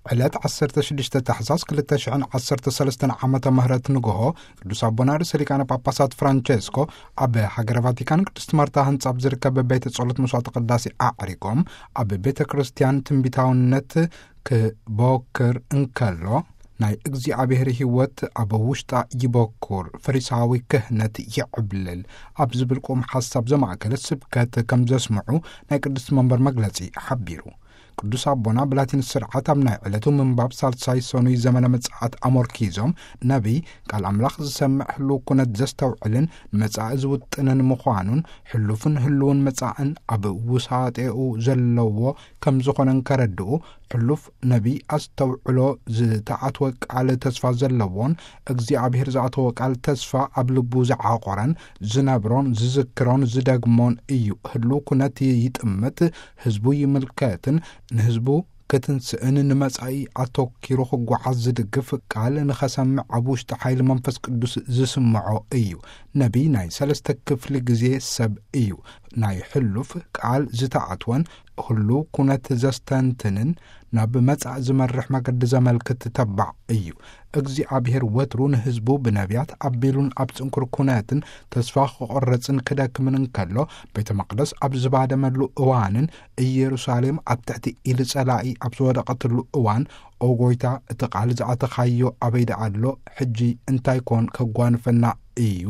ዕለት ዓሰርተ ሽዱሽተ ታሕሳስ ክልተ ሽሕን ዓሰርተ ሰለስተን ዓመተ ምህረት ንግሆ፣ ቅዱስ ኣቦና ርእሰ ሊቃነ ጳጳሳት ፍራንቸስኮ ኣብ ሃገረ ቫቲካን ቅድስት ማርታ ህንጻ ኣብ ዝርከብ ቤተ ጸሎት መስዋዕተ ቅዳሴ ኣዕሪጎም፣ ኣብ ቤተ ክርስቲያን ትንቢታውነት ክቦክር እንከሎ፣ ናይ እግዚኣብሔር ህይወት ኣብ ውሽጣ ይበኩር፣ ፈሪሳዊ ክህነት ይዕብልል ኣብ ዝብል ቁም ሓሳብ ዘማእከለ ስብከት ከም ዘስምዑ ናይ ቅድስት መንበር መግለጺ ሓቢሩ። ቅዱስ ኣቦና ብላቲን ስርዓት ኣብ ናይ ዕለቱ ምንባብ ሳልሳይ ሰኑይ ዘመነ ምጽኣት ኣሞርኪዞም፣ ነቢይ ቃል ኣምላኽ ዝሰምዕ ህልው ኩነት ዘስተውዕልን ንመጻኢ ዝውጥንን ምዃኑን፣ ሕሉፍን ህልውን መጻእን ኣብ ውሳጤኡ ዘለዎ ከም ዝኾነን ከረድኡ፣ ሕሉፍ ነቢይ ኣስተውዕሎ ዝተኣትወ ቃል ተስፋ ዘለዎን እግዚኣብሔር ዝኣተወ ቃል ተስፋ ኣብ ልቡ ዝዓቖረን ዝነብሮን ዝዝክሮን ዝደግሞን እዩ። ህልው ኩነት ይጥምት፣ ህዝቡ ይምልከትን ንህዝቡ ክትንስእን ንመጻኢ ኣተኪሩ ክጓዓዝ ዝድግፍ ቃል ንኸሰምዕ ኣብ ውሽጢ ሓይሊ መንፈስ ቅዱስ ዝስምዖ እዩ። ነቢይ ናይ ሰለስተ ክፍሊ ግዜ ሰብ እዩ። ናይ ሕሉፍ ቃል ዝተኣትወን ህልው ኩነት ዘስተንትንን ናብ መጻኢ ዝመርሕ መገዲ ዘመልክት ተባዕ እዩ። እግዚኣብሔር ወትሩ ንህዝቡ ብነቢያት ኣቢሉን ኣብ ጽንኩር ኩነትን ተስፋ ክቆርጽን ክደክምን እንከሎ፣ ቤተ መቕደስ ኣብ ዝባደመሉ እዋንን ኢየሩሳሌም ኣብ ትሕቲ ኢድ ጸላኢ ኣብ ዝወደቐትሉ እዋን፣ "ኦ ጎይታ፣ እቲ ቃል ዝኣተኻዮ ኣበይ ደኣ ኣሎ? ሕጂ እንታይ ኮን ከጓንፈና እዩ?"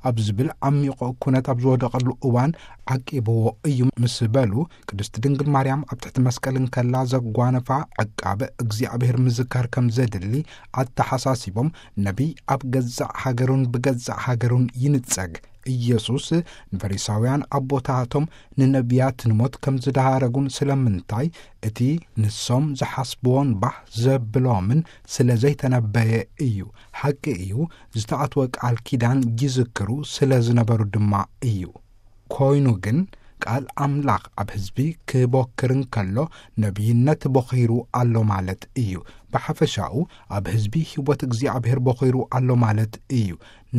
ኣብ ዝብል ዓሚቑ ኩነት ኣብ ዝወደቐሉ እዋን ዓቂብዎ እዩ ምስ በሉ፣ ቅድስቲ ድንግል ማርያም ኣብ ትሕቲ መስቀል እንከላ ዘጓነፋ ዕቃበ እግዚኣብሔር ምዝካር ከም ዘድሊ ኣተሓሳሲቦም፣ ነቢይ ኣብ ገዛእ ሃገሩን ብገዛእ ሃገሩን ይንጸግ። ኢየሱስ ንፈሪሳውያን ኣቦታቶም ንነቢያት ንሞት ከም ዝደሃረጉን ስለምንታይ እቲ ንሶም ዝሓስብዎን ባህ ዘብሎምን ስለ ዘይተነበየ እዩ። ሓቂ እዩ፣ ዝተኣትወ ቃል ኪዳን ይዝክሩ ስለ ዝነበሩ ድማ እዩ። ኮይኑ ግን ቃል ኣምላኽ ኣብ ህዝቢ ክቦክር እንከሎ ነቢይነት ቦኺሩ ኣሎ ማለት እዩ። ብሓፈሻኡ ኣብ ህዝቢ ህይወት እግዚኣብሔር ቦኺሩ ኣሎ ማለት እዩ።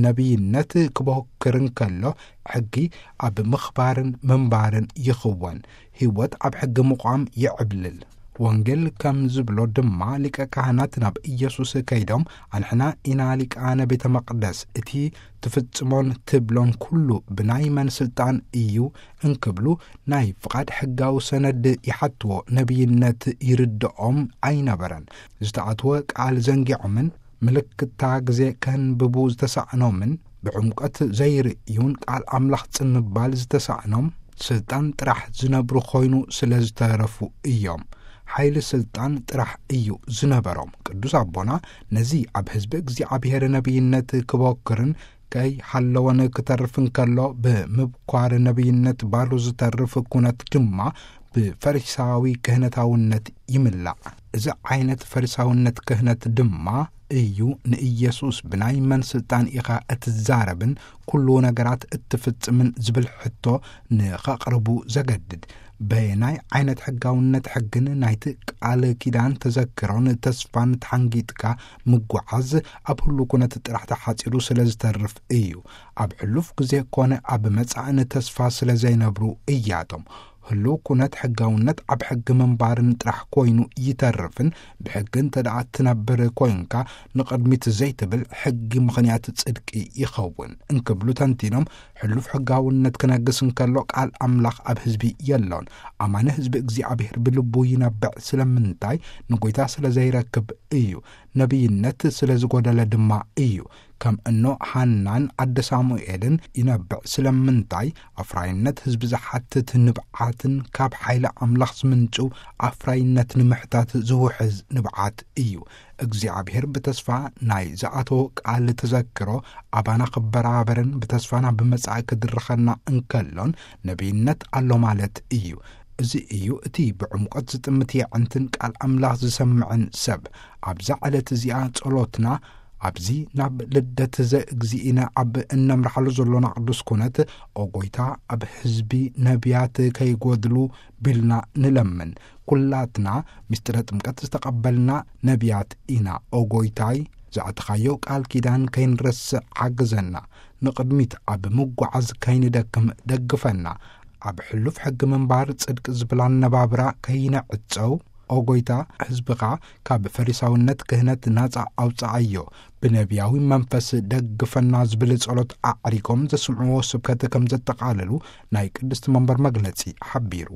ነቢይነት ክቦክር እንከሎ ሕጊ ኣብ ምኽባርን ምንባርን ይኽወን። ህይወት ኣብ ሕጊ ምቋም ይዕብልል። ወንጌል ከም ዝብሎ ድማ ሊቀ ካህናት ናብ ኢየሱስ ከይዶም፣ "ኣንሕና ኢና ሊቃነ ቤተ መቕደስ፣ እቲ ትፍጽሞን ትብሎን ኩሉ ብናይ መን ስልጣን እዩ?" እንክብሉ ናይ ፍቓድ ሕጋዊ ሰነድ ይሓትዎ። ነቢይነት ይርድኦም ኣይነበረን። ዝተኣትወ ቃል ዘንጊዖምን ምልክታ ግዜ ከንብቡ ዝተሳእኖምን ብዕምቆት ዘይርእዩን ቃል ኣምላኽ ጽን ምባል ዝተሳእኖም ስልጣን ጥራሕ ዝነብሩ ኮይኑ ስለ ዝተረፉ እዮም። ሓይሊ ስልጣን ጥራሕ እዩ ዝነበሮም። ቅዱስ ኣቦና ነዚ ኣብ ህዝቢ እግዚኣብሔር ነቢይነት ክቦክርን ከይሃለወን ክተርፍ እንከሎ ብምብኳር ነቢይነት ባዶ ዝተርፍ ኩነት ድማ ብፈሪሳዊ ክህነታውነት ይምላእ። እዚ ዓይነት ፈሪሳውነት ክህነት ድማ እዩ ንኢየሱስ "ብናይ መን ስልጣን ኢኻ እትዛረብን ኩሉ ነገራት እትፍጽምን?" ዝብል ሕቶ ንኸቕርቡ ዘገድድ። በየናይ ዓይነት ሕጋውነት ሕግን ናይቲ ቃል ኪዳን ተዘክሮን ተስፋን ተሓንጊጥካ ምጓዓዝ ኣብ ህሉ ኩነት ጥራሕ ተሓጺሩ ስለ ዝተርፍ እዩ። ኣብ ሕሉፍ ግዜ ኮነ ኣብ መጻእን ተስፋ ስለ ዘይነብሩ እያቶም። ህሉው ኩነት ሕጋውነት ኣብ ሕጊ ምንባርን ጥራሕ ኮይኑ ይተርፍን፣ ብሕጊ እንተ ደኣ ትነብር ኮይንካ፣ ንቕድሚት ዘይትብል ሕጊ ምኽንያት ጽድቂ ይኸውን እንክብሉ ተንቲኖም፣ ሕሉፍ ሕጋውነት ክነግስ እንከሎ ቃል ኣምላኽ ኣብ ህዝቢ የሎን። ኣማኒ ህዝቢ እግዚኣብሔር ብልቡ ይነብዕ። ስለምንታይ? ንጎይታ ስለ ዘይረክብ እዩ። ነቢይነት ስለ ዝጎደለ ድማ እዩ። ከም እኖ ሃናን ኣደ ሳሙኤልን ይነብዕ። ስለምንታይ? ኣፍራይነት ህዝቢ ዝሓትት ንብዓትን ካብ ሓይሊ ኣምላኽ ዝምንጭው ኣፍራይነት ንምሕታት ዝውሕዝ ንብዓት እዩ። እግዚኣብሔር ብተስፋ ናይ ዝኣተዎ ቃል ተዘክሮ ኣባና ክበራበርን ብተስፋ ናብ መጻኢ ክድርኸና እንከሎን ነቢይነት ኣሎ ማለት እዩ። እዚ እዩ እቲ ብዕምቆት ዝጥምት የዕንትን ቃል ኣምላኽ ዝሰምዕን ሰብ። ኣብዛ ዕለት እዚኣ ጸሎትና ኣብዚ ናብ ልደት ዘእግዚእነ ኣብ እነምርሓሉ ዘሎና ቅዱስ ኩነት፣ "ኦ ጎይታ፣ ኣብ ህዝቢ ነቢያት ከይጎድሉ" ቢልና ንለምን። ኩላትና ምስጢረ ጥምቀት ዝተቐበልና ነቢያት ኢና። ኦ ጎይታይ፣ ዝኣተኻዮ ቃል ኪዳን ከይንረስዕ ሓግዘና። ንቕድሚት ኣብ ምጓዓዝ ከይንደክም ደግፈና። ኣብ ሕሉፍ ሕጊ ምንባር ጽድቂ ዝብል ኣነባብራ ከይንዕጸው፣ ኦ ጎይታ፣ ህዝብኻ ካብ ፈሪሳውነት ክህነት ናጻ ኣውጽኣዮ፣ ብነቢያዊ መንፈስ ደግፈና ዝብል ጸሎት ኣዕሪጎም ዘስምዕዎ ስብከት ከም ዘጠቓለሉ ናይ ቅድስቲ መንበር መግለጺ ሓቢሩ።